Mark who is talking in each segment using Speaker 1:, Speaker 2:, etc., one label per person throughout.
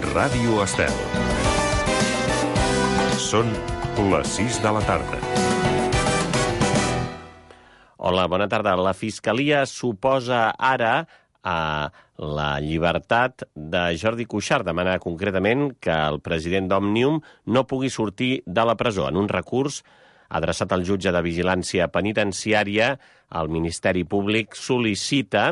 Speaker 1: Ràdio Estel. Són les 6 de la tarda.
Speaker 2: Hola, bona tarda. La Fiscalia suposa ara a la llibertat de Jordi Cuixart. Demana concretament que el president d'Òmnium no pugui sortir de la presó. En un recurs adreçat al jutge de vigilància penitenciària, el Ministeri Públic sol·licita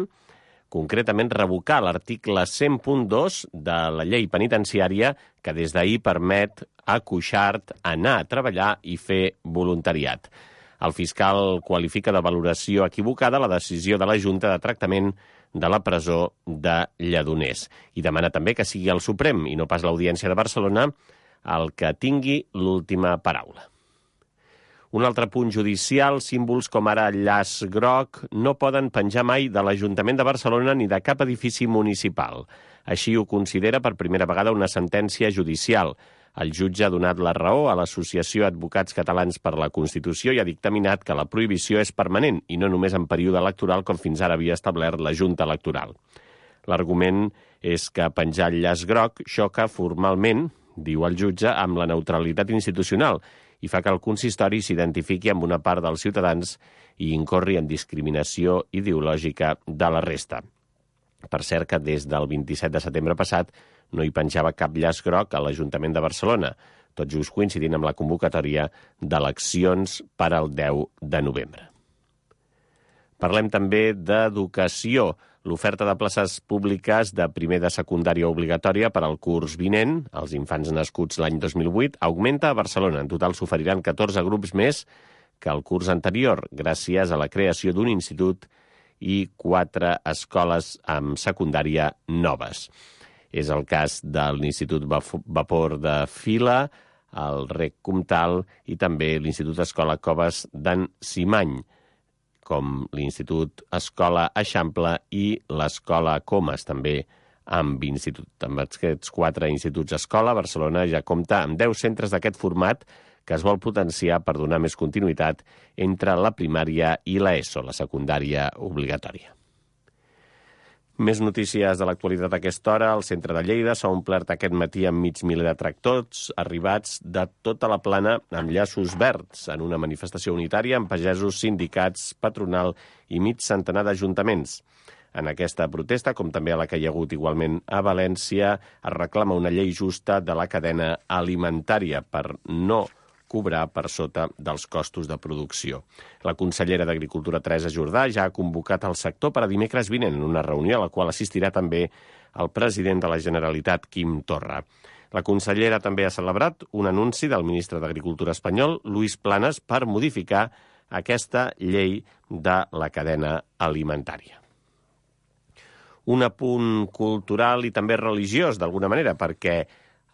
Speaker 2: concretament revocar l'article 100.2 de la llei penitenciària que des d'ahir permet a Cuixart anar a treballar i fer voluntariat. El fiscal qualifica de valoració equivocada la decisió de la Junta de Tractament de la presó de Lledoners i demana també que sigui el Suprem i no pas l'Audiència de Barcelona el que tingui l'última paraula. Un altre punt judicial, símbols com ara el llaç groc no poden penjar mai de l'Ajuntament de Barcelona ni de cap edifici municipal. Així ho considera per primera vegada una sentència judicial. El jutge ha donat la raó a l'Associació Advocats Catalans per la Constitució i ha dictaminat que la prohibició és permanent i no només en període electoral com fins ara havia establert la Junta Electoral. L'argument és que penjar el llaç groc xoca formalment, diu el jutge, amb la neutralitat institucional i fa que el consistori s'identifiqui amb una part dels ciutadans i incorri en discriminació ideològica de la resta. Per cert que des del 27 de setembre passat no hi penjava cap llaç groc a l'Ajuntament de Barcelona, tot just coincidint amb la convocatòria d'eleccions per al 10 de novembre. Parlem també d'educació. L'oferta de places públiques de primer de secundària obligatòria per al curs vinent, els infants nascuts l'any 2008, augmenta a Barcelona. En total s'oferiran 14 grups més que el curs anterior, gràcies a la creació d'un institut i 4 escoles amb secundària noves. És el cas de l'Institut Vapor de Fila, el Rec Comtal i també l'Institut Escola Coves d'en Simany, com l'Institut Escola Eixample i l'Escola Comas, també amb institut. Amb aquests 4 instituts escola, Barcelona ja compta amb 10 centres d'aquest format que es vol potenciar per donar més continuïtat entre la primària i l'ESO, la secundària obligatòria. Més notícies de l'actualitat a aquesta hora. El centre de Lleida s'ha omplert aquest matí amb mig miler de tractors arribats de tota la plana amb llaços verds en una manifestació unitària amb pagesos, sindicats, patronal i mig centenar d'ajuntaments. En aquesta protesta, com també a la que hi ha hagut igualment a València, es reclama una llei justa de la cadena alimentària per no cobrar per sota dels costos de producció. La consellera d'Agricultura, Teresa Jordà, ja ha convocat el sector per a dimecres vinent en una reunió a la qual assistirà també el president de la Generalitat, Quim Torra. La consellera també ha celebrat un anunci del ministre d'Agricultura espanyol, Luis Planas, per modificar aquesta llei de la cadena alimentària. Un apunt cultural i també religiós, d'alguna manera, perquè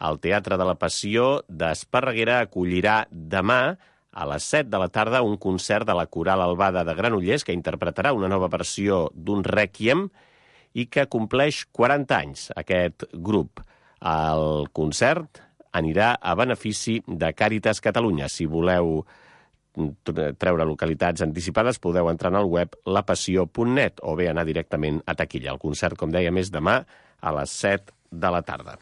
Speaker 2: el Teatre de la Passió d'Esparreguera acollirà demà a les 7 de la tarda un concert de la Coral Albada de Granollers que interpretarà una nova versió d'un rèquiem i que compleix 40 anys, aquest grup. El concert anirà a benefici de Càritas Catalunya. Si voleu treure localitats anticipades, podeu entrar en el web lapassió.net o bé anar directament a taquilla. El concert, com dèiem, és demà a les 7 de la tarda.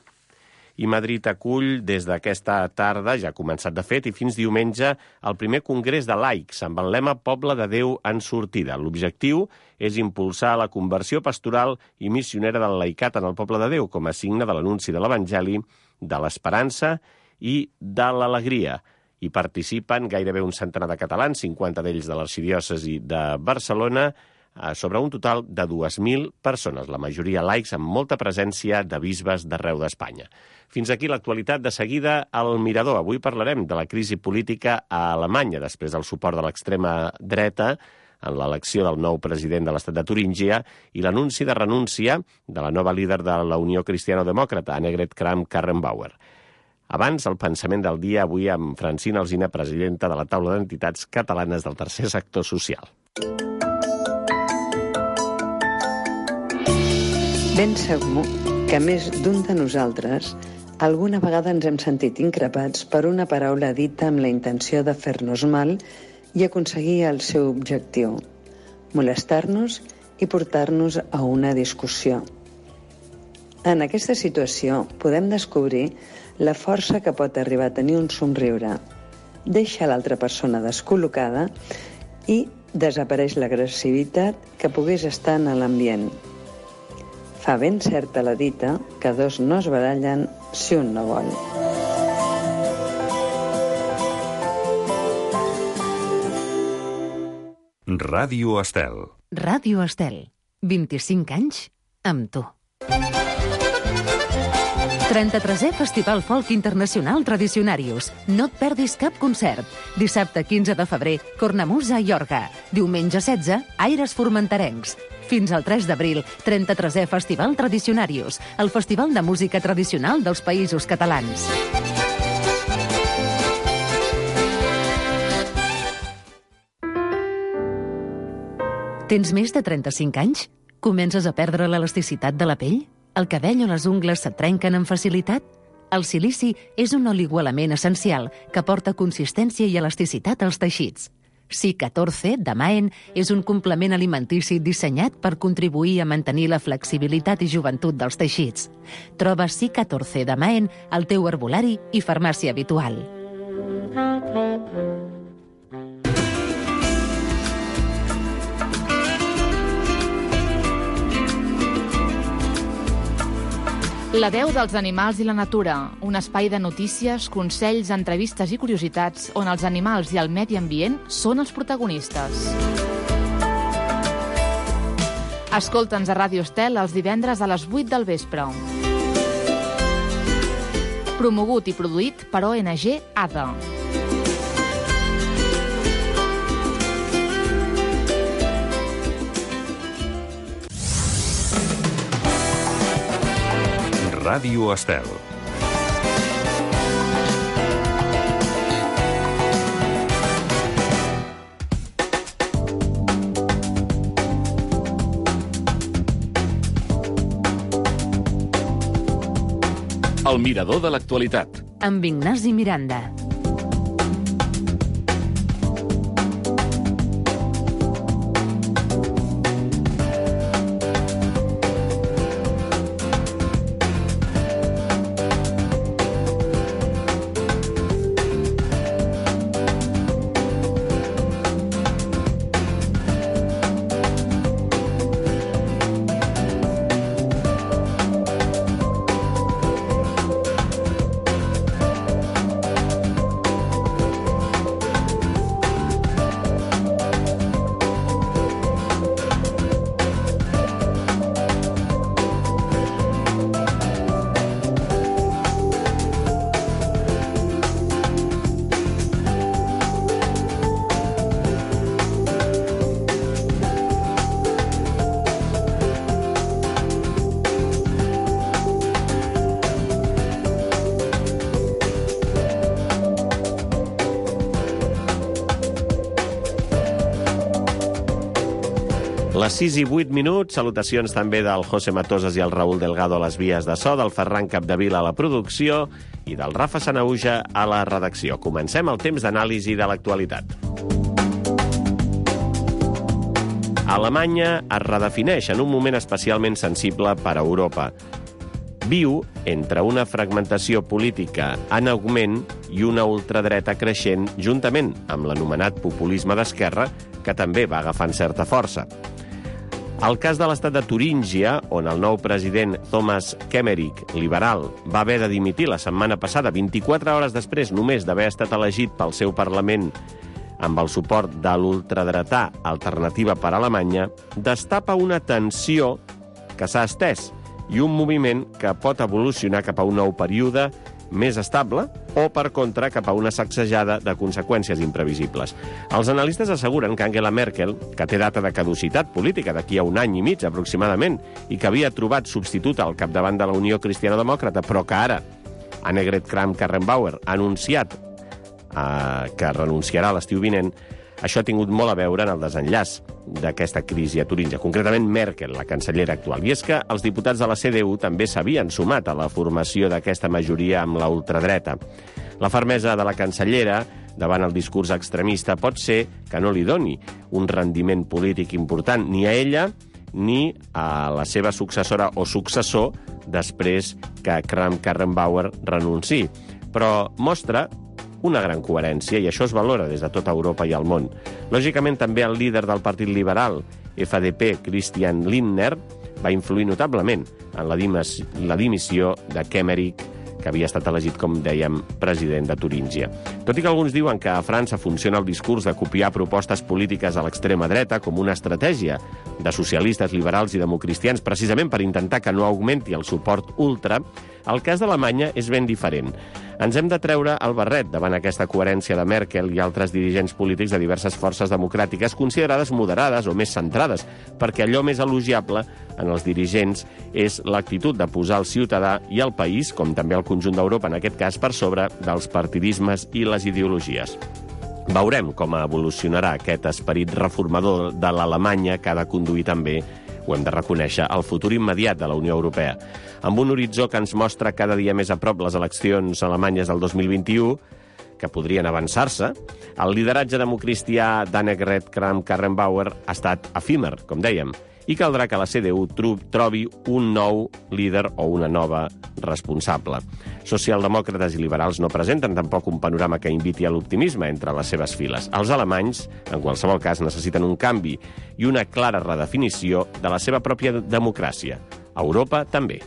Speaker 2: I Madrid acull des d'aquesta tarda, ja ha començat de fet, i fins diumenge, el primer congrés de laics amb el lema Poble de Déu en sortida. L'objectiu és impulsar la conversió pastoral i missionera del laicat en el Poble de Déu com a signe de l'anunci de l'Evangeli, de l'esperança i de l'alegria. Hi participen gairebé un centenar de catalans, 50 d'ells de l'arxidiòcesi de Barcelona, sobre un total de 2.000 persones, la majoria laics amb molta presència de bisbes d'arreu d'Espanya. Fins aquí l'actualitat. De seguida, al Mirador. Avui parlarem de la crisi política a Alemanya, després del suport de l'extrema dreta en l'elecció del nou president de l'estat de Turíngia i l'anunci de renúncia de la nova líder de la Unió Cristiano-Demòcrata, Annegret Kramp-Karrenbauer. Abans, el pensament del dia, avui amb Francina Alsina, presidenta de la taula d'entitats catalanes del tercer sector social.
Speaker 3: Ben segur que més d'un de nosaltres alguna vegada ens hem sentit increpats per una paraula dita amb la intenció de fer-nos mal i aconseguir el seu objectiu, molestar-nos i portar-nos a una discussió. En aquesta situació podem descobrir la força que pot arribar a tenir un somriure. Deixa l'altra persona descol·locada i desapareix l'agressivitat que pogués estar en l'ambient. Fa ben certa la dita que dos no es barallen si un no vol.
Speaker 1: Ràdio Estel.
Speaker 4: Ràdio Estel. 25 anys amb tu. 33è Festival Folk Internacional Tradicionarius. No et perdis cap concert. Dissabte 15 de febrer, Cornamusa i Orga. Diumenge 16, Aires Formenterencs. Fins al 3 d'abril, 33è Festival Tradicionarius, el festival de música tradicional dels Països Catalans. Tens més de 35 anys? Comences a perdre l'elasticitat de la pell? El cabell o les ungles se't trenquen amb facilitat? El silici és un oligoelement essencial que aporta consistència i elasticitat als teixits. Si14 de Maen és un complement alimentici dissenyat per contribuir a mantenir la flexibilitat i joventut dels teixits. Troba Si14 de Maen al teu herbolari i farmàcia habitual.
Speaker 5: La veu dels animals i la natura, un espai de notícies, consells, entrevistes i curiositats on els animals i el medi ambient són els protagonistes. Escolta'ns a Ràdio Estel els divendres a les 8 del vespre. Promogut i produït per ONG ADA.
Speaker 1: Ràdio Estel.
Speaker 6: El mirador de l'actualitat.
Speaker 4: Amb Ignasi Miranda.
Speaker 2: Les 6 i 8 minuts, salutacions també del José Matosas i el Raúl Delgado a les vies de so, del Ferran Capdevila a la producció i del Rafa Sanauja a la redacció. Comencem el temps d'anàlisi de l'actualitat. Alemanya es redefineix en un moment especialment sensible per a Europa. Viu entre una fragmentació política en augment i una ultradreta creixent juntament amb l'anomenat populisme d'esquerra, que també va agafant certa força. El cas de l'estat de Turíngia, on el nou president Thomas Kemmerich, liberal, va haver de dimitir la setmana passada, 24 hores després només d'haver estat elegit pel seu Parlament amb el suport de l'ultradretà Alternativa per Alemanya, destapa una tensió que s'ha estès i un moviment que pot evolucionar cap a un nou període més estable o, per contra, cap a una sacsejada de conseqüències imprevisibles. Els analistes asseguren que Angela Merkel, que té data de caducitat política d'aquí a un any i mig aproximadament i que havia trobat substitut al capdavant de la Unió Cristiana-Demòcrata, però que ara Annegret Kramp-Karrenbauer ha anunciat que renunciarà a l'estiu vinent, això ha tingut molt a veure en el desenllaç d'aquesta crisi a Turíngia, concretament Merkel, la cancellera actual. I és que els diputats de la CDU també s'havien sumat a la formació d'aquesta majoria amb la ultradreta. La fermesa de la cancellera davant el discurs extremista pot ser que no li doni un rendiment polític important ni a ella ni a la seva successora o successor després que Kramp-Karrenbauer renunciï. Però mostra una gran coherència, i això es valora des de tota Europa i el món. Lògicament, també el líder del Partit Liberal, FDP, Christian Lindner, va influir notablement en la dimissió de Kemmerich, que havia estat elegit, com dèiem, president de Turíngia. Tot i que alguns diuen que a França funciona el discurs de copiar propostes polítiques a l'extrema dreta com una estratègia de socialistes, liberals i democristians, precisament per intentar que no augmenti el suport ultra, el cas d'Alemanya és ben diferent. Ens hem de treure el barret davant aquesta coherència de Merkel i altres dirigents polítics de diverses forces democràtiques considerades moderades o més centrades, perquè allò més elogiable en els dirigents és l'actitud de posar el ciutadà i el país, com també el conjunt d'Europa en aquest cas, per sobre dels partidismes i les ideologies. Veurem com evolucionarà aquest esperit reformador de l'Alemanya que ha de conduir també, ho hem de reconèixer, el futur immediat de la Unió Europea. Amb un horitzó que ens mostra cada dia més a prop les eleccions alemanyes del 2021, que podrien avançar-se, el lideratge democristià d'Annegret Kramp-Karrenbauer ha estat efímer, com dèiem, i caldrà que la CDU trobi un nou líder o una nova responsable. Socialdemòcrates i liberals no presenten tampoc un panorama que inviti a l'optimisme entre les seves files. Els alemanys, en qualsevol cas, necessiten un canvi i una clara redefinició de la seva pròpia democràcia. Europa també.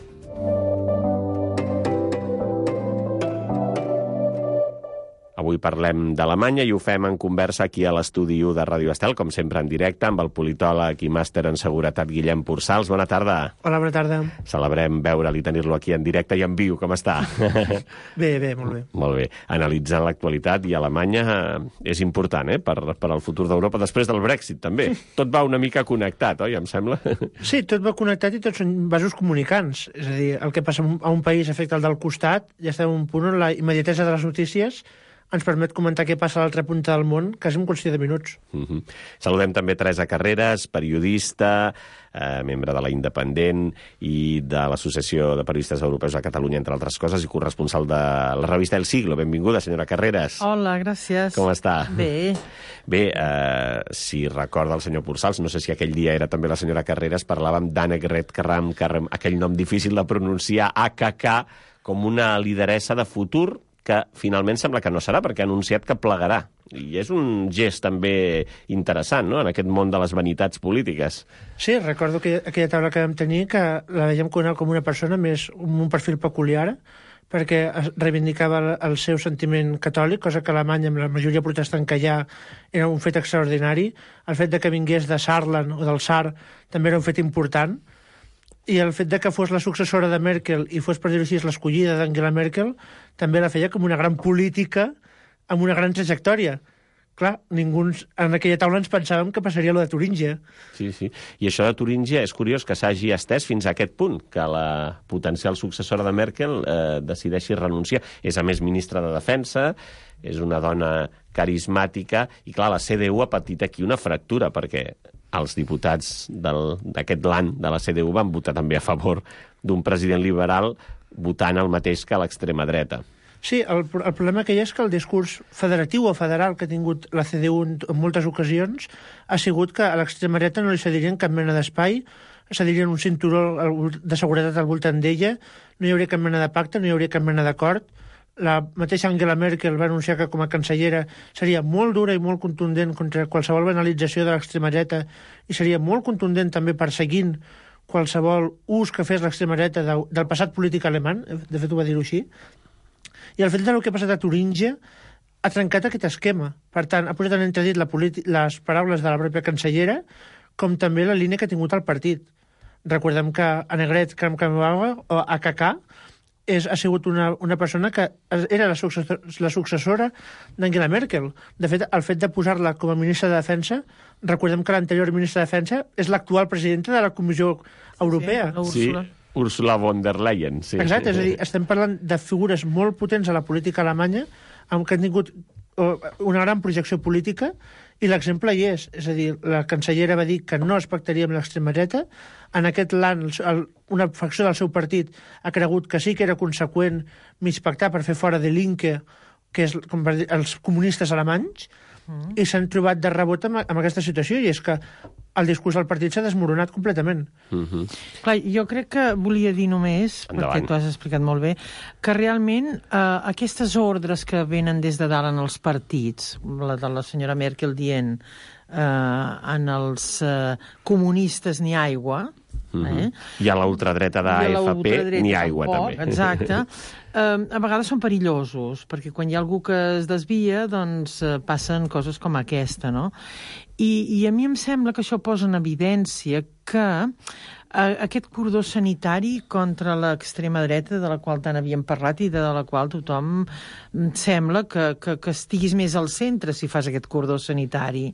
Speaker 2: Avui parlem d'Alemanya i ho fem en conversa aquí a l'estudi 1 de Ràdio Estel, com sempre en directe, amb el politòleg i màster en seguretat Guillem Pursals. Bona tarda.
Speaker 7: Hola, bona tarda.
Speaker 2: Celebrem veure'l i tenir-lo aquí en directe i en viu. Com està?
Speaker 7: Bé, molt bé.
Speaker 2: Molt bé. Analitzant l'actualitat, i Alemanya és important, per al futur d'Europa, després del Brexit, també. Tot va una mica connectat, oi, em sembla?
Speaker 7: Sí, tot va connectat i tots són vasos comunicants. És a dir, el que passa a un país afecta al del costat, ja estem en un punt on la immediatesa de les notícies ens permet comentar què passa a l'altra punta del món, quasi en qüestió de minuts.
Speaker 2: Saludem també Teresa Carreras, periodista, membre de la Independent i de l'Associació de Periodistes Europeus a Catalunya, entre altres coses, i corresponsal de la revista El Siglo. Benvinguda, senyora Carreras.
Speaker 8: Hola, gràcies.
Speaker 2: Com està?
Speaker 8: Bé.
Speaker 2: Bé, si recorda el senyor Pursals, no sé si aquell dia era també la senyora Carreras, parlàvem d'Annegret Kramp-Karrenbauer, aquell nom difícil de pronunciar, AKK, com una lideressa de futur, que finalment sembla que no serà, perquè ha anunciat que plegarà. I és un gest també interessant, no?, en aquest món de les vanitats polítiques.
Speaker 7: Sí, recordo que aquella taula que vam tenir, que la veiem com una persona més amb un perfil peculiar, perquè reivindicava el seu sentiment catòlic, cosa que a Alemanya, amb la majoria protestant que hi ha, era un fet extraordinari. El fet de que vingués de Saarland o del Saar també era un fet important. I el fet de que fos la successora de Merkel i fos, per dir-ho així, l'escollida d'Angela Merkel, també la feia com una gran política amb una gran trajectòria. Clar, ningú en aquella taula ens pensàvem que passaria lo de Turíngia.
Speaker 2: Sí. I això de Turíngia és curiós que s'hagi estès fins a aquest punt, que la potencial successora de Merkel decideixi renunciar. És, a més, ministra de Defensa, és una dona carismàtica, i clar, la CDU ha patit aquí una fractura, perquè els diputats d'aquest l'any de la CDU van votar també a favor d'un president liberal votant el mateix que l'extrema dreta.
Speaker 7: Sí, el problema que hi ha és que el discurs federatiu o federal que ha tingut la CDU en moltes ocasions ha sigut que a l'extrema dreta no li cedirien cap mena d'espai, cedirien un cinturó de seguretat al voltant d'ella, no hi hauria cap mena de pacte, no hi hauria cap mena d'acord. La mateixa Angela Merkel va anunciar que com a cancellera seria molt dura i molt contundent contra qualsevol banalització de l'extrema dreta i seria molt contundent també perseguint qualsevol ús que fes l'extrema dreta del passat polític alemany, de fet ho va dir-ho així. I el fet del que ha passat a Turíngia ha trencat aquest esquema. Per tant, ha posat en entredit les paraules de la pròpia cancellera, com també la línia que ha tingut el partit. Recordem que Annegret Kramp-Karrenbauer, o AKK, ha sigut una persona que era la successora d'Angela Merkel. De fet, el fet de posar-la com a ministra de Defensa, recordem que l'anterior ministra de Defensa és l'actual presidenta de la Comissió Europea.
Speaker 2: Sí, Ursula von der Leyen. Sí,
Speaker 7: exacte, és a dir, estem parlant de figures molt potents a la política alemanya, que han tingut una gran projecció política, i l'exemple hi és. És a dir, la cancellera va dir que no es pactaria amb l'extrema dreta. En aquest l'any, una facció del seu partit ha cregut que sí que era conseqüent mig pactar per fer fora de Linke, que és com per dir, els comunistes alemanys, i s'han trobat de rebot amb aquesta situació, i és que el discurs del partit s'ha desmoronat completament.
Speaker 8: Clar, jo crec que volia dir només, perquè tu has explicat molt bé, que realment aquestes ordres que venen des de dalt en els partits, la de la senyora Merkel dient en els comunistes ni aigua,
Speaker 2: I a la ultradreta d'AFP ni aigua, també.
Speaker 8: Exacte. A vegades són perillosos, perquè quan hi ha algú que es desvia, doncs passen coses com aquesta, no? I a mi em sembla que això posa en evidència que aquest cordó sanitari contra l'extrema dreta, de la qual tant havíem parlat i de la qual tothom sembla que estiguis més al centre si fas aquest cordó sanitari.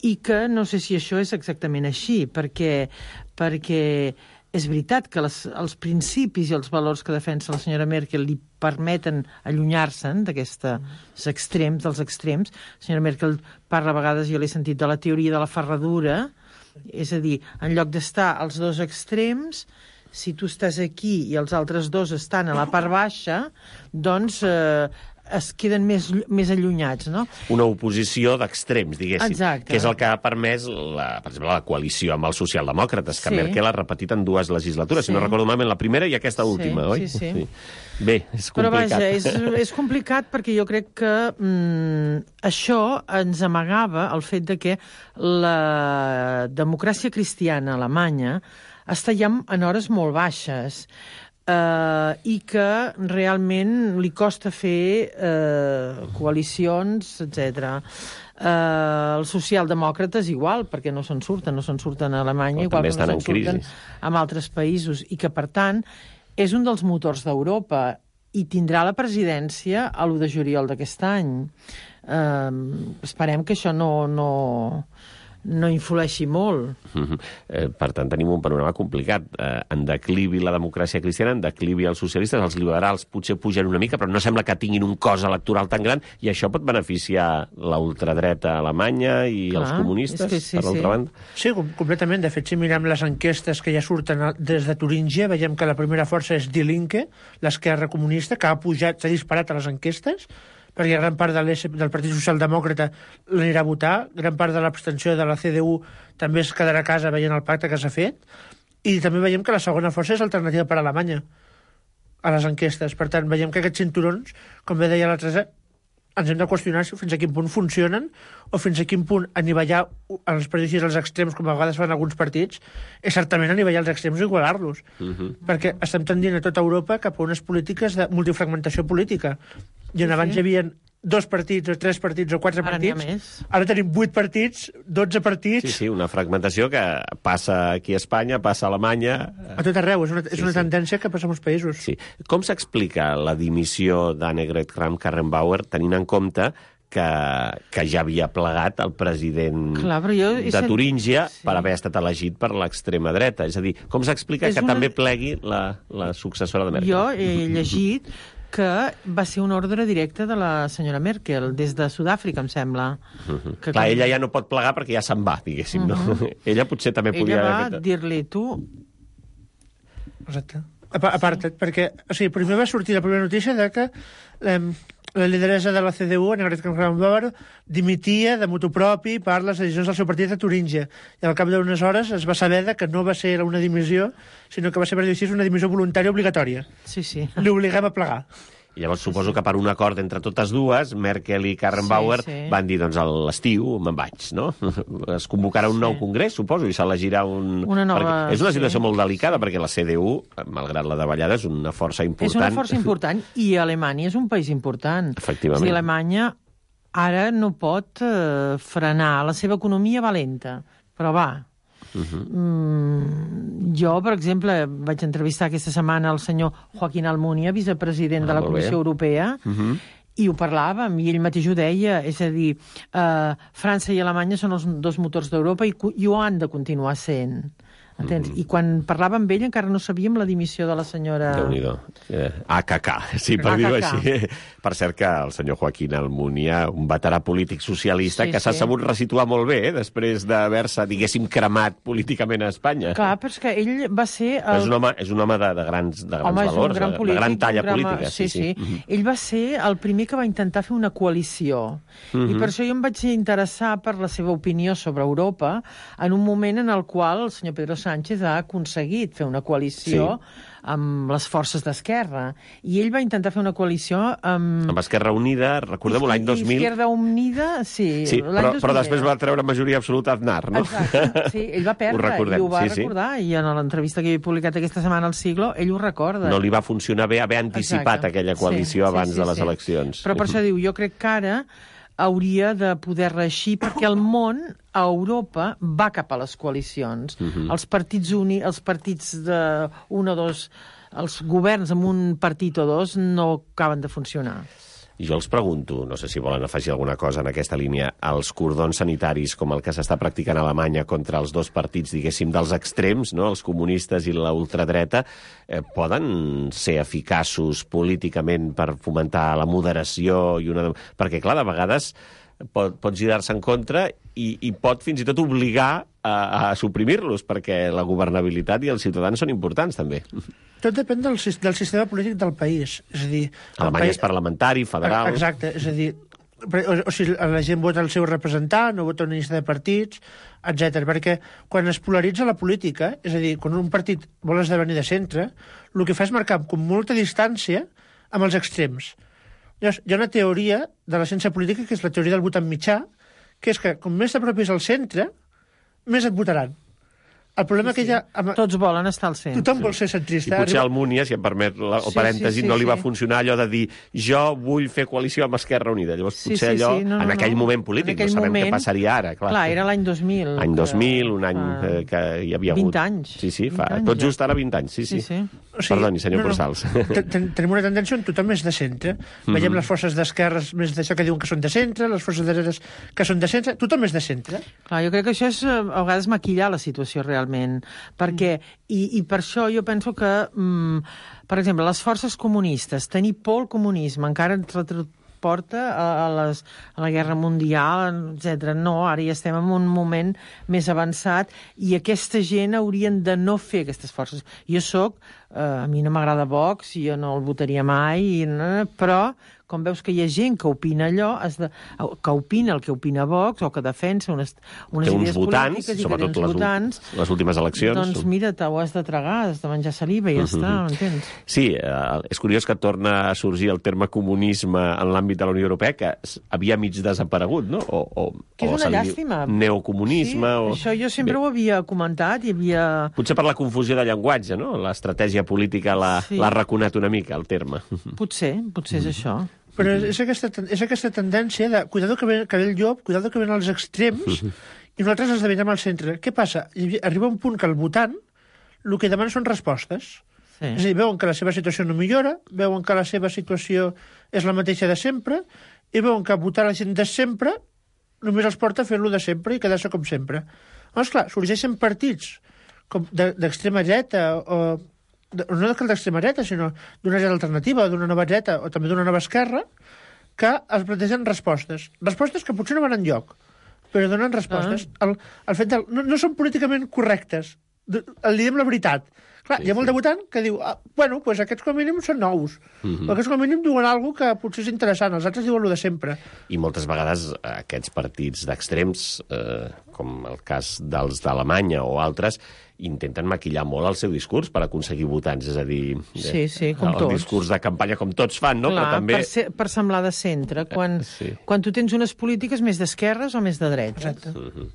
Speaker 8: I que no sé si això és exactament així, perquè és veritat que els principis i els valors que defensa la senyora Merkel li permeten allunyar-se'n d'aquests extrems, dels extrems. La senyora Merkel parla a vegades, jo l'he sentit, de la teoria de la ferradura, és a dir, en lloc d'estar als dos extrems, si tu estàs aquí i els altres dos estan a la part baixa, doncs es queden més allunyats, no?
Speaker 2: Una oposició d'extrems, diguéssim.
Speaker 8: Exacte.
Speaker 2: Que és el que ha permès, per exemple, la coalició amb els socialdemòcrates, que Merkel ha repetit en 2 legislatures, si no recordo malament, la primera i aquesta última, oi?
Speaker 8: Sí.
Speaker 2: Bé, és complicat.
Speaker 8: Però vaja, és complicat perquè jo crec que això ens amagava el fet de que la democràcia cristiana alemanya està ja en hores molt baixes, i que realment li costa fer coalicions, etc. Els socialdemòcrates igual, perquè no se'n surten a Alemanya, igual que no se'n surten en altres països, i que, per tant, és un dels motors d'Europa i tindrà la presidència a l'1 de juliol d'aquest any. Esperem que això no influeixi molt.
Speaker 2: Per tant, tenim un panorama complicat. En declivi la democràcia cristiana, en declivi els socialistes, els liberals potser pugen una mica, però no sembla que tinguin un cos electoral tan gran, i això pot beneficiar la ultradreta alemanya i els comunistes, per l'altra banda.
Speaker 7: Sí, completament. De fet, si mirem les enquestes que ja surten des de Turíngia, veiem que la primera força és Die Linke, l'esquerra comunista, que s'ha disparat a les enquestes, perquè gran part del Partit Socialdemòcrata l'anirà a votar, gran part de l'abstenció de la CDU també es quedarà a casa veient el pacte que s'ha fet, i també veiem que la segona força és Alternativa per Alemanya a les enquestes. Per tant, veiem que aquests cinturons, com bé deia la Teresa, ens hem de qüestionar fins a quin punt funcionen o fins a quin punt anivellar els prejudicis als extrems, com a vegades fan alguns partits, és certament anivellar els extrems i igualar-los. Perquè estem tendint a tota Europa cap a unes polítiques de multifragmentació política. I on abans hi havia 2 partits, o 3 partits, o 4 partits, ara tenim 8 partits, 12 partits...
Speaker 2: Sí, una fragmentació que passa aquí a Espanya, passa a Alemanya...
Speaker 7: A tot arreu, és una tendència que passa a molts països.
Speaker 2: Sí. Com s'explica la dimissió d'Annegret Kramp-Karrenbauer, tenint en compte que ja havia plegat el president de Turíngia per haver estat elegit per l'extrema dreta? És a dir, com s'explica que també plegui la successora de Merkel?
Speaker 8: Jo he llegit que va ser una ordre directa de la senyora Merkel, des de Sud-àfrica, em sembla.
Speaker 2: Clar, ella ja no pot plegar perquè ja se'n va, diguéssim, no? Ella potser també podia...
Speaker 8: Ella va dir-li, tu...
Speaker 7: Exacte. Aparta't, perquè... O sigui, primer va sortir la primera notícia de que la lideressa de la CDU, Annegret Kramp-Karrenbauer, dimitia de motu propi per les decisions del seu partit a Turíngia. I al cap d'unes hores es va saber que no va ser una dimissió, sinó que va ser, per dir-ho així, una dimissió voluntària obligatòria.
Speaker 8: Sí.
Speaker 7: Li obliguem a plegar.
Speaker 2: I llavors suposo que per un acord entre totes dues, Merkel i Karrenbauer van dir, doncs, a l'estiu me'n vaig, no? Es convocarà un nou congrés, suposo, i s'elegirà una nova... És una situació molt delicada, perquè la CDU, malgrat la davallada, és una força important.
Speaker 8: És una força important, i Alemanya és un país important.
Speaker 2: Efectivament.
Speaker 8: És a dir, Alemanya ara no pot frenar. La seva economia va lenta, però va. Jo, per exemple, vaig entrevistar aquesta setmana el senyor Joaquín Almunia, vicepresident de la Comissió Europea, i ho parlàvem, i ell mateix ho deia, és a dir, França i Alemanya són els 2 motors d'Europa i ho han de continuar sent. Entens? I quan parlava amb ell encara no sabíem la dimissió de la senyora...
Speaker 2: Déu-n'hi-do. AKK, sí, per dir-ho així. Per cert que el senyor Joaquín Almunia, un veterà polític socialista, que s'ha sabut resituar molt bé, després d'haver-se, diguéssim, cremat políticament a Espanya.
Speaker 8: Clar, però és que ell va ser...
Speaker 2: És un home de grans valors, de gran talla política.
Speaker 8: Sí. Ell va ser el primer que va intentar fer una coalició. I per això jo em vaig interessar per la seva opinió sobre Europa en un moment en el qual el senyor Pedro Sánchez ha aconseguit fer una coalició amb les forces d'Esquerra. I ell va intentar fer una coalició amb
Speaker 2: Esquerra Unida, recordem-ho, l'any 2000.
Speaker 8: Esquerra Unida, sí.
Speaker 2: Però després va treure majoria absoluta Aznar, no?
Speaker 8: Exacte, sí, ell va perdre, i ho va recordar, i en l'entrevista que he publicat aquesta setmana al Siglo, ell ho recorda.
Speaker 2: No li va funcionar bé haver anticipat aquella coalició abans de les eleccions.
Speaker 8: Però per això diu, jo crec que ara hauria de poder reeixir, perquè el món, a Europa, va cap a les coalicions. Els partits de un o dos, els governs amb un partit o dos no acaben de funcionar.
Speaker 2: I jo els pregunto, no sé si volen afegir alguna cosa en aquesta línia, els cordons sanitaris, com el que s'està practicant a Alemanya contra els dos partits, diguéssim, dels extrems, no? Els comunistes i la ultradreta, poden ser eficaços políticament per fomentar la moderació i una... Perquè, clar, de vegades pot girar-se en contra i pot fins i tot obligar a suprimir-los, perquè la governabilitat i els ciutadans són importants, també.
Speaker 7: Tot depèn del sistema polític del país. És a dir...
Speaker 2: Alemanya és parlamentari, federal...
Speaker 7: Exacte, és a dir, o sigui, la gent vota el seu representant o vota una llista de partits, etc. Perquè quan es polaritza la política, és a dir, quan un partit vol esdevenir de centre, el que fa és marcar com molta distància amb els extrems. Llavors, hi ha una teoria de la ciència política, que és la teoria del votant mitjà, que és que com més t'apropis al centre, més et votaran. El problema que ja...
Speaker 8: Tots volen estar al centre.
Speaker 7: Tothom vol ser centrista.
Speaker 2: I potser Almunia, si em permet el parèntesi, no li va funcionar allò de dir jo vull fer coalició amb Esquerra Unida. Llavors potser allò, en aquell moment polític, no sabem què passaria ara.
Speaker 8: Clar, era l'any 2000.
Speaker 2: Any 2000, un any que hi havia hagut...
Speaker 8: 20 anys.
Speaker 2: Sí, tot just ara 20 anys, sí. Perdoni, senyor Cursals.
Speaker 7: Tenim una tendència on tothom és de centre. Veiem les forces d'esquerres més d'això que diuen que són de centre, les forces de dretes que són de centre, tothom és de centre.
Speaker 8: Clar, jo crec que això és a vegades maquillar la situació realment, perquè, i per això jo penso que, per exemple, les forces comunistes, tenir por al comunisme, encara ens porta a la Guerra Mundial, etc. No, ara ja estem en un moment més avançat i aquesta gent haurien de no fer aquestes forces. A mi no m'agrada Vox, jo no el votaria mai, però com veus que hi ha gent que opina allò, que opina el que opina Vox o que defensa unes idees polítiques i que té uns votants,
Speaker 2: les últimes eleccions.
Speaker 8: Doncs mira, t'ho has de tragar, has de menjar saliva i ja està, m'entens?
Speaker 2: Sí, és curiós que torna a sorgir el terme comunisme en l'àmbit de la Unió Europea, que havia mig desaparegut, no?
Speaker 8: Que és una llàstima.
Speaker 2: Neocomunisme.
Speaker 8: Sí, això jo sempre ho havia comentat i havia...
Speaker 2: Potser per la confusió de llenguatge, no? L'estratègia política l'ha raconat una mica, el terme.
Speaker 8: Potser és això.
Speaker 7: Però és aquesta tendència de cuidado que ve el llop, cuidado que ven als extrems, i nosaltres esdevenem al centre. Què passa? Arriba un punt que el votant el que demana són respostes. Sí. És a dir, veuen que la seva situació no millora, veuen que la seva situació és la mateixa de sempre, i veuen que votar la gent de sempre només els porta a fer-lo de sempre i quedar-se com sempre. Llavors, clar, sorgeixen partits d'extrema dreta o... no d'extrema dreta, sinó d'una dreta alternativa, d'una nova dreta o també d'una nova esquerra, que es plantegen respostes. Respostes que potser no van enlloc, però donen respostes. El fet no són políticament correctes. Li diem la veritat. Clar, hi ha molt de votant que diu bueno, doncs aquests com a mínim són nous. Aquests com a mínim diuen alguna cosa que potser és interessant, els altres diuen el de sempre.
Speaker 2: I moltes vegades aquests partits d'extrems, com el cas dels d'Alemanya o altres, intenten maquillar molt el seu discurs per aconseguir votants, és a dir...
Speaker 8: Sí, com tots.
Speaker 2: El discurs de campanya com tots fan, no?
Speaker 8: Clar,
Speaker 2: però també...
Speaker 8: per semblar de centre, quan tu tens unes polítiques més d'esquerres o més de dretes.
Speaker 7: Exacte.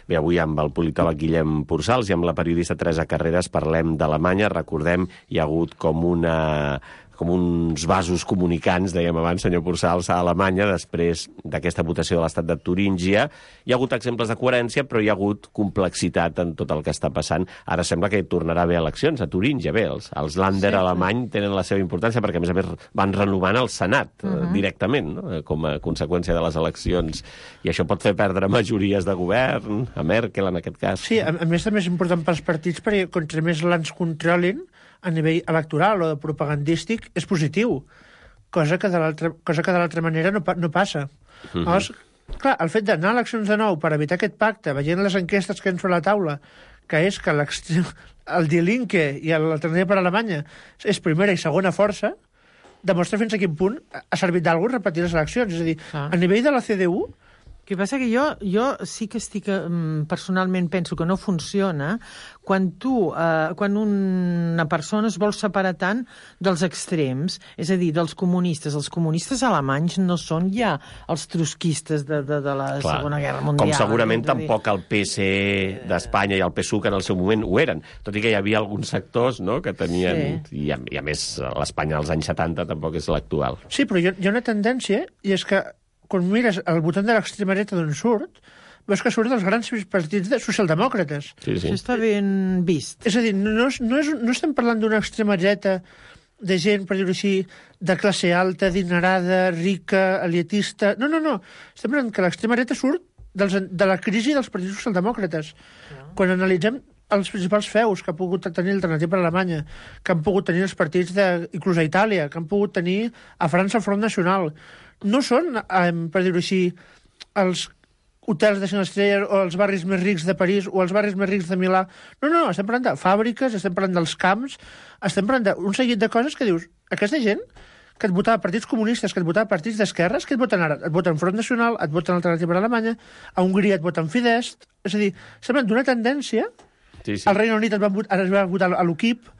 Speaker 2: Bé, avui amb el politòleg Guillem Pursals i amb la periodista Teresa Carreras parlem d'Alemanya. Recordem, hi ha hagut com com uns vasos comunicants, dèiem abans, senyor Pursals, a Alemanya, després d'aquesta votació de l'estat de Turíngia. Hi ha hagut exemples de coherència, però hi ha hagut complexitat en tot el que està passant. Ara sembla que tornarà a haver eleccions a Turíngia. Bé, els Länder alemany tenen la seva importància perquè, a més, van renovant el Senat directament, no? Com a conseqüència de les eleccions. I això pot fer perdre majories de govern, a Merkel, en aquest cas.
Speaker 7: Sí, a més també és important pels partits perquè contra més l'ans controlin a nivell electoral o propagandístic és positiu, cosa que de l'altra manera no passa. Llavors, clar, el fet d'anar a eleccions de nou per evitar aquest pacte, veient les enquestes que ens fa la taula, que és que el Die Linke i l'Alternativa per Alemanya és primera i segona força, demostra fins a quin punt ha servit d'alguna cosa repetir les eleccions. És a dir, a nivell de la CDU...
Speaker 8: El que passa que jo sí que personalment penso que no funciona quan una persona es vol separar tant dels extrems, és a dir, dels comunistes. Els comunistes alemanys no són ja els trotskistes de la Segona Guerra Mundial.
Speaker 2: Com segurament tampoc el PSE d'Espanya i el PSUC en el seu moment ho eren, tot i que hi havia alguns sectors, no?, que tenien... Sí. I a més, l'Espanya dels anys 70 tampoc és l'actual.
Speaker 7: Sí, però hi ha una tendència, i és que quan mires el votant de l'extrema dreta d'on surt, veus que surt dels grans partits socialdemòcrates.
Speaker 2: Sí.
Speaker 8: Això està ben vist.
Speaker 7: És a dir, no estem parlant d'una extrema dreta de gent, per dir-ho així, de classe alta, adinerada, rica, eliatista... No. Estem parlant que l'extrema dreta surt de la crisi dels partits socialdemòcrates. Quan analitzem els principals feus que ha pogut tenir l'Alternativa per Alemanya, que han pogut tenir els partits inclús a Itàlia, que han pogut tenir a França el Front Nacional, no són, per dir-ho així, els hotels de 5 estrelles o els barris més rics de París o els barris més rics de Milà. No, estem parlant de fàbriques, estem parlant dels camps, estem parlant d'un seguit de coses que dius, aquesta gent que et votava partits comunistes, que et votava partits d'esquerres, que et voten ara? Et voten Front Nacional, et voten Alternativa per Alemanya, a Hongria et voten Fidesz, és a dir, sembla d'una tendència, al Regne Unit ara es va votar a l'UKIP,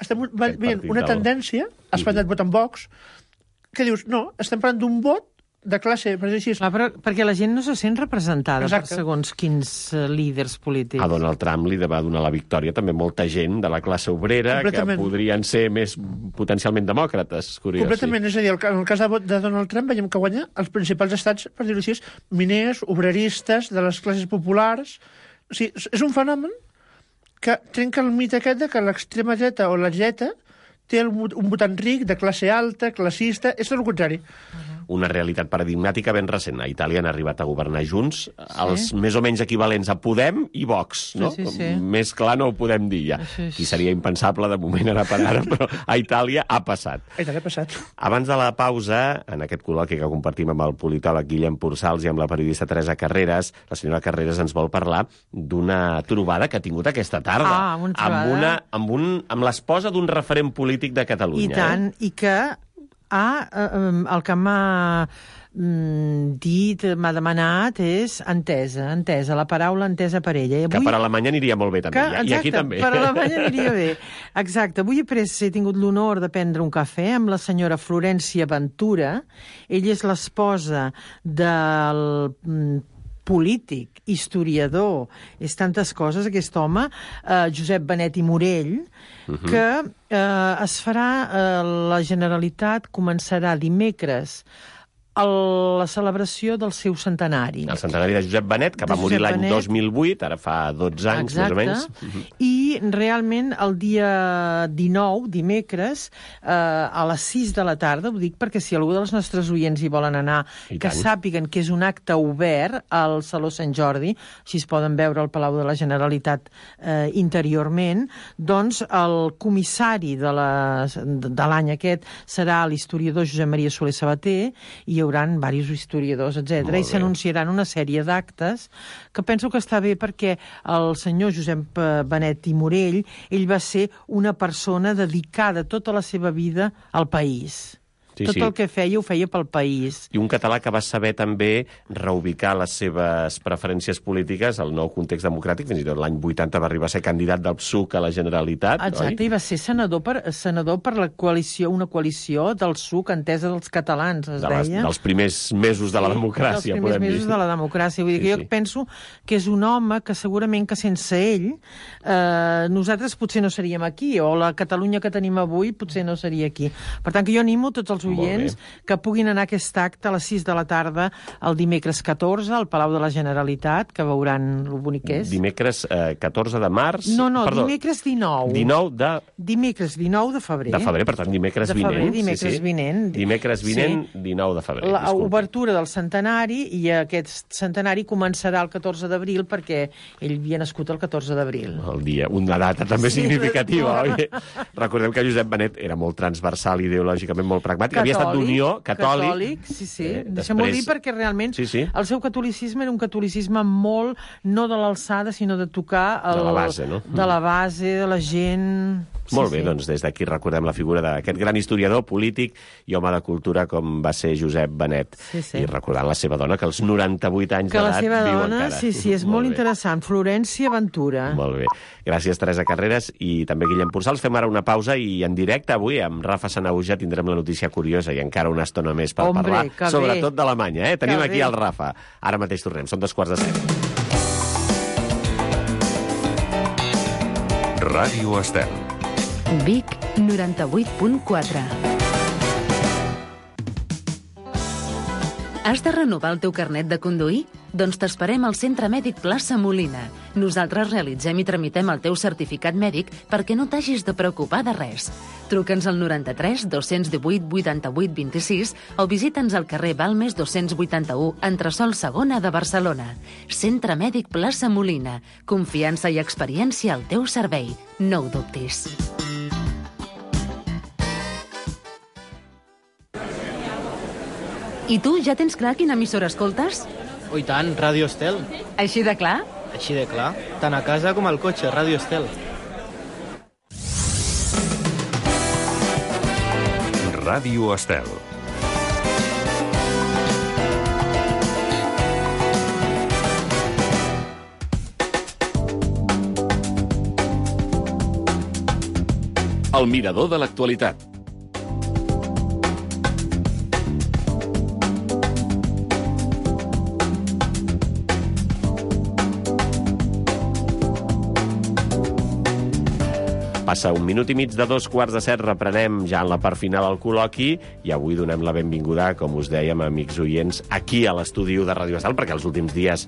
Speaker 7: estem veient una tendència, a Espanya et voten Vox, que dius, no, estem parlant d'un vot de classe, per dir així.
Speaker 8: Perquè la gent no se sent representada per segons quins líders polítics.
Speaker 2: A Donald Trump li va donar la victòria també molta gent de la classe obrera que podrien ser més potencialment demòcrates, curiós.
Speaker 7: Completament, és a dir, en el cas de Donald Trump veiem que guanya els principals estats, per dir-ho així, miners, obreristes, de les classes populars. O sigui, és un fenomen que trenca el mite aquest de que l'extrema dreta o la dreta té un votant ric, de classe alta, classista, és tot el contrari.
Speaker 2: Una realitat paradigmàtica ben recent. A Itàlia han arribat a governar junts els més o menys equivalents a Podem i Vox, no?
Speaker 8: Sí.
Speaker 2: Més clar no ho podem dir ja. Aquí seria impensable de moment ara per ara, però a Itàlia ha passat. Abans de la pausa, en aquest col·loqui que compartim amb el politòleg Guillem Pursals i amb la periodista Teresa Carreras, la senyora Carreras ens vol parlar d'una trobada que ha tingut aquesta tarda amb l'esposa d'un referent polític de Catalunya.
Speaker 8: I tant, i que el que m'ha demanat és entesa, la paraula entesa per ella.
Speaker 2: Que per Alemanya aniria molt bé, també. I aquí també.
Speaker 8: Per Alemanya aniria bé. Exacte. Avui he tingut l'honor de prendre un cafè amb la senyora Florència Ventura. Ella és l'esposa del polític, historiador, és tantes coses, aquest home, Josep Benet i Morell, que es farà, la Generalitat començarà dimecres la celebració del seu centenari.
Speaker 2: El centenari de Josep Benet, que va morir l'any 2008, ara fa 12 anys, més o menys.
Speaker 8: I realment el dia 19, dimecres, a les 6 de la tarda, ho dic perquè si algú dels nostres oients hi volen anar, que sàpiguen que és un acte obert al Saló Sant Jordi, així es poden veure al Palau de la Generalitat interiorment, doncs el comissari de l'any aquest serà l'historiador Josep Maria Soler Sabater, i hi haurà diversos historiadors, etc. I s'anunciaran una sèrie d'actes que penso que està bé perquè el senyor Josep Benet i Morell, ell va ser una persona dedicada tota la seva vida al país. Tot el que feia, ho feia pel país.
Speaker 2: I un català que va saber també reubicar les seves preferències polítiques al nou context democràtic. Fins i tot l'any 80 va arribar a ser candidat del PSUC a la Generalitat.
Speaker 8: Exacte,
Speaker 2: oi?
Speaker 8: I va ser senador per la coalició, una coalició del PSUC, entesa dels catalans, es deia.
Speaker 2: Dels primers mesos de la democràcia, podem dir.
Speaker 8: Dels primers mesos de la democràcia. Vull dir que jo penso que és un home que segurament que sense ell nosaltres potser no seríem aquí, o la Catalunya que tenim avui potser no seria aquí. Per tant, que jo animo tots els oients que puguin anar a aquest acte a les 6 de la tarda el dimecres 14 al Palau de la Generalitat, que veuran lo bonic que és.
Speaker 2: Dimecres 14 de març...
Speaker 8: No,
Speaker 2: perdó,
Speaker 8: dimecres 19. Dimecres 19 de febrer.
Speaker 2: De febrer, per tant, dimecres vinent.
Speaker 8: Dimecres vinent.
Speaker 2: Dimecres vinent, 19 de febrer.
Speaker 8: L'obertura del centenari, i aquest centenari començarà el 14 d'abril perquè ell havia nascut el 14 d'abril.
Speaker 2: El dia, una data també significativa, oi? Recordem que Josep Benet era molt transversal, ideològicament molt pragmàtic. Havia estat d'Unió, catòlic.
Speaker 8: Sí. Deixem-ho dir perquè realment el seu catolicisme era un catolicisme molt, no de l'alçada, sinó de tocar...
Speaker 2: De la base, no?
Speaker 8: De la base, de la gent...
Speaker 2: Molt bé, doncs des d'aquí recordem la figura d'aquest gran historiador, polític i home de cultura com va ser Josep Benet. I recordant la seva dona, que als 98 anys d'edat viu encara.
Speaker 8: Que la seva dona, sí, és molt interessant. Florència Ventura.
Speaker 2: Molt bé. Gràcies, Teresa Carreras, i també Guillem Porçals. Fem ara una pausa i en directe avui amb Rafa Sanahuja tindrem la notícia curiosa i encara una estona més per parlar, sobretot d'Alemanya. Tenim aquí el Rafa. Ara mateix tornem, són 2:45.
Speaker 1: Ràdio Estel.
Speaker 4: Vic 98.4. Has de renovar el teu carnet de conduir? Doncs t'esperem al Centre Mèdic Plaça Molina. Nosaltres realitzem i tramitem el teu certificat mèdic perquè no t'hagis de preocupar de res. Truca'ns al 93 218 88 26 o visita'ns al carrer Balmes 281, entresòl segona de Barcelona. Centre Mèdic Plaça Molina. Confiança i experiència al teu servei. No ho dubtis. I tu, ja tens clar quina emissora escoltes?
Speaker 9: Oh, i tant, Ràdio Estel.
Speaker 4: Així de clar?
Speaker 9: Així de clar. Tant a casa com al cotxe, Ràdio Estel.
Speaker 1: Ràdio Estel.
Speaker 6: El mirador de l'actualitat.
Speaker 2: Passa un minut i mig de 2:15, reprenem ja en la part final el col·loqui i avui donem la benvinguda, com us dèiem, amics oients, aquí a l'estudi de Ràdio Estel, perquè els últims dies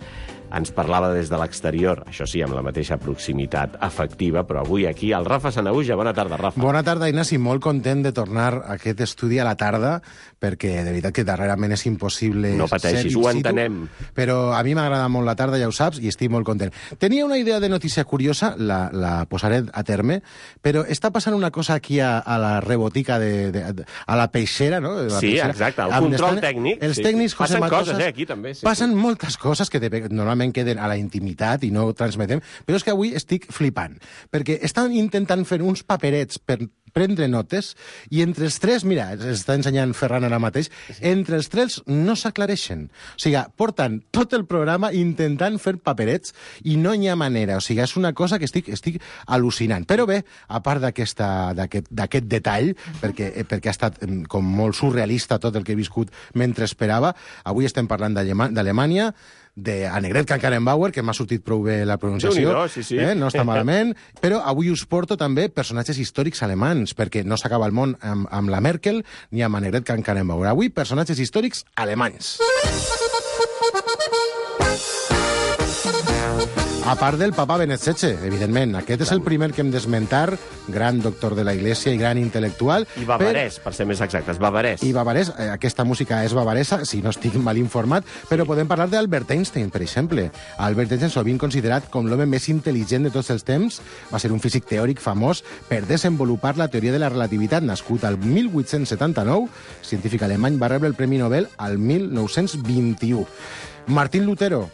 Speaker 2: ens parlava des de l'exterior, això sí, amb la mateixa proximitat afectiva, però avui aquí el Rafa Sanahuja. Bona tarda, Rafa.
Speaker 10: Bona tarda, Ignasi. Molt content de tornar a aquest estudi a la tarda, perquè de veritat que darrerament és impossible...
Speaker 2: No pateixis, ho entenem.
Speaker 10: Però a mi m'agrada molt la tarda, ja ho saps, i estic molt content. Tenia una idea de notícia curiosa, la posaré a terme, però està passant una cosa aquí a la rebotica, a la peixera, no?
Speaker 2: Sí, exacte, el control tècnic.
Speaker 10: Els tècnics, José
Speaker 2: Matosas... Passen coses, aquí també.
Speaker 10: Passen moltes coses que normalment queden a la intimitat i no transmetem, però és que avui estic flipant, perquè estan intentant fer uns paperets per prendre notes i entre els tres, mira, està ensenyant Ferran ara mateix, entre els tres no s'aclareixen. O sigui, porten tot el programa intentant fer paperets i no hi ha manera. O sigui, és una cosa que estic al·lucinant. Però bé, a part d'aquest detall, perquè ha estat com molt surrealista tot el que he viscut mentre esperava, avui estem parlant d'Alemanya, d'Annegret Kramp-Karrenbauer, que m'ha sortit prou bé la pronunciació,
Speaker 2: sí.
Speaker 10: No està malament, però avui us porto també personatges històrics alemans, perquè no s'acaba el món amb la Merkel ni amb Annegret Kramp-Karrenbauer. Avui, personatges històrics alemanys. A part del papa Benet XVI, evidentment. Aquest és el primer que hem d'esmentar, gran doctor de la Iglesia i gran intel·lectual.
Speaker 2: I bavarès, per ser més exactes, bavarès.
Speaker 10: I bavarès, aquesta música és bavaresa, si no estic mal informat, però podem parlar d'Albert Einstein, per exemple. Albert Einstein, sovint considerat com l'home més intel·ligent de tots els temps, va ser un físic teòric famós per desenvolupar la teoria de la relativitat, nascut al 1879, científic alemany, va rebre el Premi Nobel al 1921. Martín Lutero,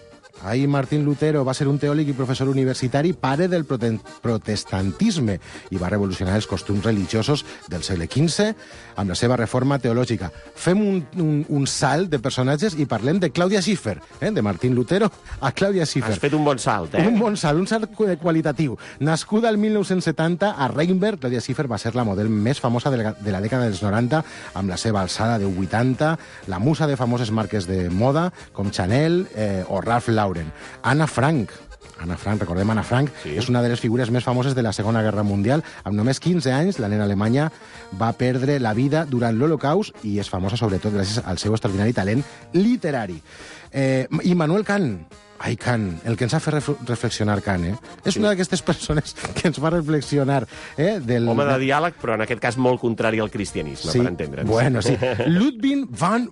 Speaker 10: Ahí Martín Lutero va ser un teòleg i professor universitari, pare del protestantisme, i va revolucionar els costums religiosos del segle XV amb la seva reforma teològica. Fem un salt de personatges i parlem de Clàudia Schiffer, de Martín Lutero a Clàudia Schiffer.
Speaker 2: Has fet un bon salt,
Speaker 10: Un bon salt, un salt qualitatiu. Nascuda el 1970 a Rheinberg, Clàudia Schiffer va ser la model més famosa de la dècada dels 90, amb la seva alçada de 80, la musa de famoses marques de moda, com Chanel o Ralph Lauren. Anna Frank, recordem Anna Frank, sí. És una de les figures més famoses de la Segona Guerra Mundial. Amb només 15 anys, la nena alemanya va perdre la vida durant l'Holocaust i és famosa sobretot gràcies al seu extraordinari talent literari. Immanuel Kant, Kant, el que ens ha fet reflexionar Kant, És una d'aquestes persones que ens fa reflexionar.
Speaker 2: Home de diàleg, però en aquest cas molt contrari al cristianisme,
Speaker 10: sí,
Speaker 2: per entendre'ns.
Speaker 10: Bueno, sí. Ludwig von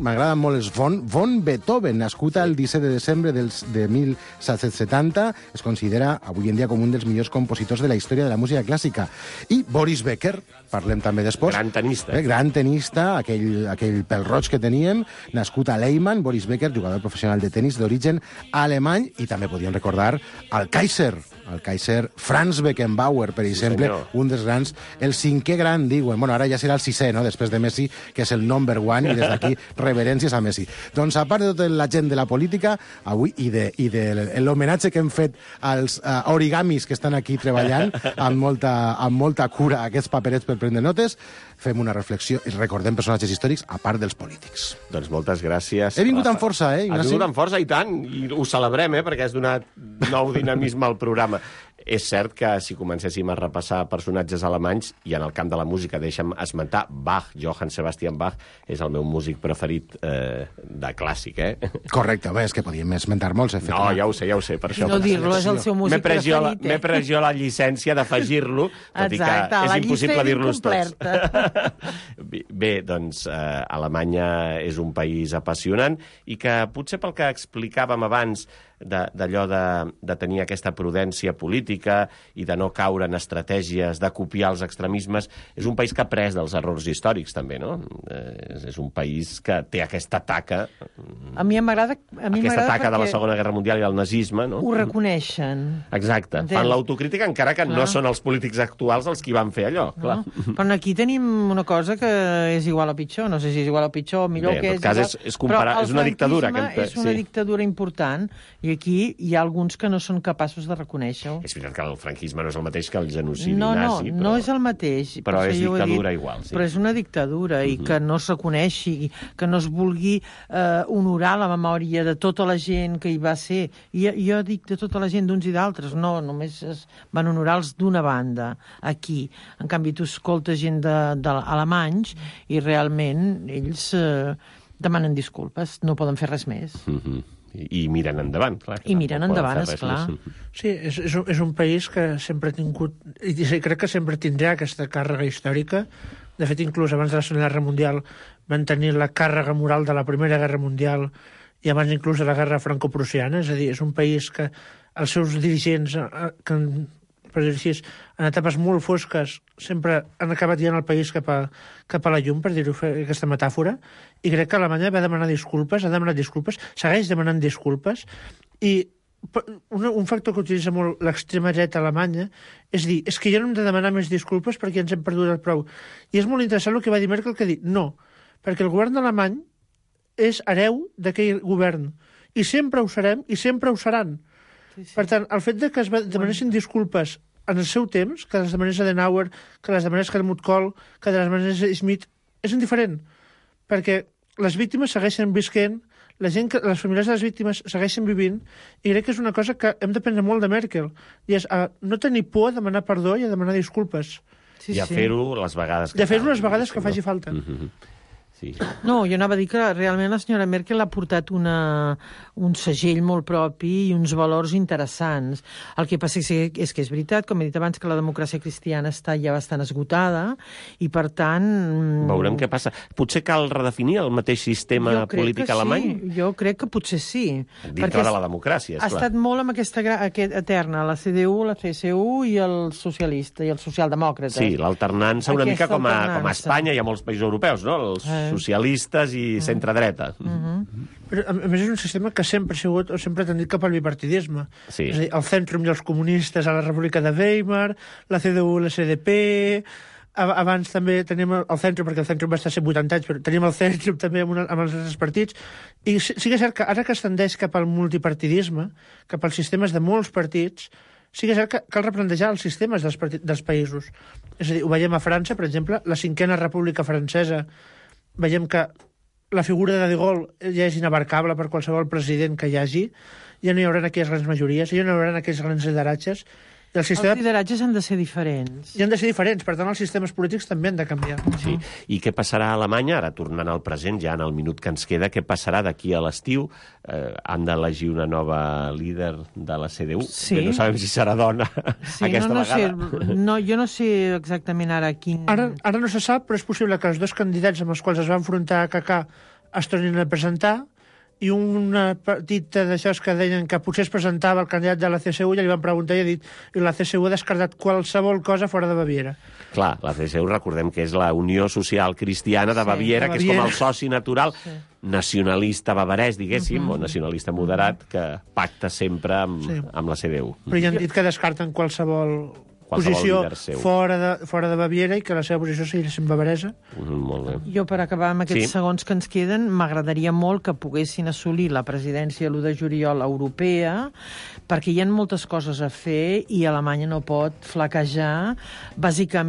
Speaker 10: m'agraden molt els von Beethoven, nascut el 17 de desembre de 1770, es considera avui en dia com un dels millors compositors de la història de la música clàssica. I Boris Becker, parlem també després.
Speaker 2: Gran tenista.
Speaker 10: Gran tenista, aquell pèl-roig que teníem, nascut a Leyman. Boris Becker, jugador professional de tenis d'origen alemany, i també podíem recordar el Kaiser Franz Beckenbauer, per exemple,
Speaker 2: senyor.
Speaker 10: Un dels grans, el 5è gran, diuen. Bueno, ara ja serà el 6è, no?, després de Messi, que és el number one, i des d'aquí reverències a Messi. Doncs, a part de tota la gent de la política, avui, i de l'homenatge que hem fet als origamis que estan aquí treballant amb molta cura aquests paperets per prendre notes, fem una reflexió i recordem personatges històrics a part dels polítics.
Speaker 2: Doncs moltes gràcies.
Speaker 10: He vingut amb força, Ignasi?
Speaker 2: Has vingut amb força, i tant, i ho celebrem, perquè has donat nou dinamisme al programa. És cert que si comencéssim a repassar personatges alemanys, i en el camp de la música deixa'm esmentar Bach, Johann Sebastian Bach, és el meu músic preferit de clàssic,
Speaker 10: Correcte, és que podíem esmentar molts.
Speaker 2: No, ja ho sé, per això.
Speaker 8: No dir-lo, és el seu músic preferit.
Speaker 2: M'he pres jo la llicència d'afegir-lo, tot i que és impossible dir-los tots. Bé, doncs, Alemanya és un país apassionant i que potser pel que explicàvem abans d'allò de tenir aquesta prudència política i de no caure en estratègies de copiar els extremismes, és un país que ha après dels errors històrics, també, no? És un país que té aquesta taca...
Speaker 8: A mi m'agrada...
Speaker 2: Aquesta taca de la Segona Guerra Mundial i el nazisme, no?
Speaker 8: Ho reconeixen.
Speaker 2: Exacte. Fan l'autocrítica, encara que no són els polítics actuals els qui van fer allò, clar.
Speaker 8: Però aquí tenim una cosa que és igual o pitjor. No sé si és igual o pitjor o millor, que és igual.
Speaker 2: En tot cas, és comparar... És una dictadura.
Speaker 8: És una dictadura important, i aquí hi ha alguns que no són capaços de reconèixer-ho.
Speaker 2: És veritat que el franquisme no és el mateix que el genocidi nazi,
Speaker 8: però... No és el mateix.
Speaker 2: Però és dictadura igual, sí.
Speaker 8: Però és una dictadura, i que no es reconeixi, que no es vulgui honorar la memòria de tota la gent que hi va ser. I jo dic de tota la gent, d'uns i d'altres, no, només es van honorar els d'una banda, aquí. En canvi, tu escoltes gent d'alemanys i realment ells demanen disculpes, no poden fer res més.
Speaker 2: I miren endavant, clar.
Speaker 8: I miren endavant, esclar.
Speaker 7: Sí, és un país que sempre ha tingut, i crec que sempre tindrà aquesta càrrega històrica. De fet, inclús abans de la Segona Guerra Mundial van tenir la càrrega moral de la Primera Guerra Mundial i abans inclús de la Guerra Franco-Prussiana. És a dir, és un país que els seus dirigents, per dir-ho així, en etapes molt fosques, sempre han acabat guiant el país cap a la llum, per dir-ho, aquesta metàfora, i crec que Alemanya va demanar disculpes, ha demanat disculpes, segueix demanant disculpes, i un factor que utilitza molt l'extrema dreta alemanya és dir, és que ja no hem de demanar més disculpes perquè ens hem perdut el prou. I és molt interessant el que va dir Merkel, que dir, no, perquè el govern alemany és hereu d'aquell govern, i sempre ho serem, i sempre ho seran. Per tant, el fet de que es demanessin disculpes en el seu temps, que les demanés Adenauer, que les demanés Helmut Kohl, que les demanés Schmidt, és indiferent, perquè les víctimes segueixen visquent, les famílies de les víctimes segueixen vivint, i crec que és una cosa que hem d'aprendre molt de Merkel, i és a no tenir por a demanar perdó i a demanar disculpes.
Speaker 2: I a fer-ho les vegades que
Speaker 7: I a fer-ho les vegades que faci falta.
Speaker 2: Sí.
Speaker 8: No, jo anava a dir que realment la senyora Merkel ha portat un segell molt propi i uns valors interessants. El que passa és que és veritat, com he dit abans, que la democràcia cristiana està ja bastant esgotada i, per tant...
Speaker 2: Veurem què passa. Potser cal redefinir el mateix sistema polític alemany?
Speaker 8: Sí. Jo crec que potser sí.
Speaker 2: Dintre de la democràcia, esclar.
Speaker 8: Ha estat molt amb aquesta eterna, la CDU, la CSU i el socialista, i el socialdemòcrata.
Speaker 2: Sí, l'alternança una mica com a Espanya i a molts països europeus, no? socialistes i centre-dreta.
Speaker 7: Però, a més, és un sistema que sempre ha sigut o sempre ha tendit cap al bipartidisme.
Speaker 2: Sí.
Speaker 7: És a dir, el Centrum i els comunistes a la República de Weimar, la CDU i la CDP... Abans també tenim el Centrum, perquè el Centrum va estar 180 anys, però tenim el Centrum també amb els altres partits. I sí que és cert que ara que es tendeix cap al multipartidisme, cap als sistemes de molts partits, sí que és cert que cal replantejar els sistemes dels països. És a dir, ho veiem a França, per exemple, la 5a República Francesa, veiem que la figura de Gaulle ja és inabarcable per qualsevol president que hi hagi, ja no hi haurà aquelles grans majories, ja no hi haurà aquells grans lideratges.
Speaker 8: Els lideratges han de ser diferents.
Speaker 7: I han de ser diferents, per tant els sistemes polítics també han de canviar.
Speaker 2: Sí. I què passarà a Alemanya, ara tornant al present, ja en el minut que ens queda, què passarà d'aquí a l'estiu? Han d'elegir una nova líder de la CDU, que no sabem si serà dona aquesta vegada.
Speaker 8: Jo no sé exactament ara quin...
Speaker 7: Ara no se sap, però és possible que els dos candidats amb els quals es va enfrontar a Kaká es tornin a presentar, i un partit d'això que deien que potser es presentava el candidat de la CSU, ja li van preguntar i ha dit i la CSU ha descartat qualsevol cosa fora de Baviera.
Speaker 2: Clar, la CSU recordem que és la Unió Social Cristiana de Baviera, que és com el soci natural nacionalista bavarès, diguéssim, o nacionalista moderat, que pacta sempre amb la CDU.
Speaker 7: Però ja han dit que descarten qualsevol posició fora de Baviera i que la seva posició sigui sempre bavaresa.
Speaker 2: Molt bé.
Speaker 8: Jo, per acabar amb aquests segons que ens queden, m'agradaria molt que poguessin assolir la presidència l'1 de juliol europea, perquè hi ha moltes coses a fer i Alemanya no pot flaquejar, bàsicament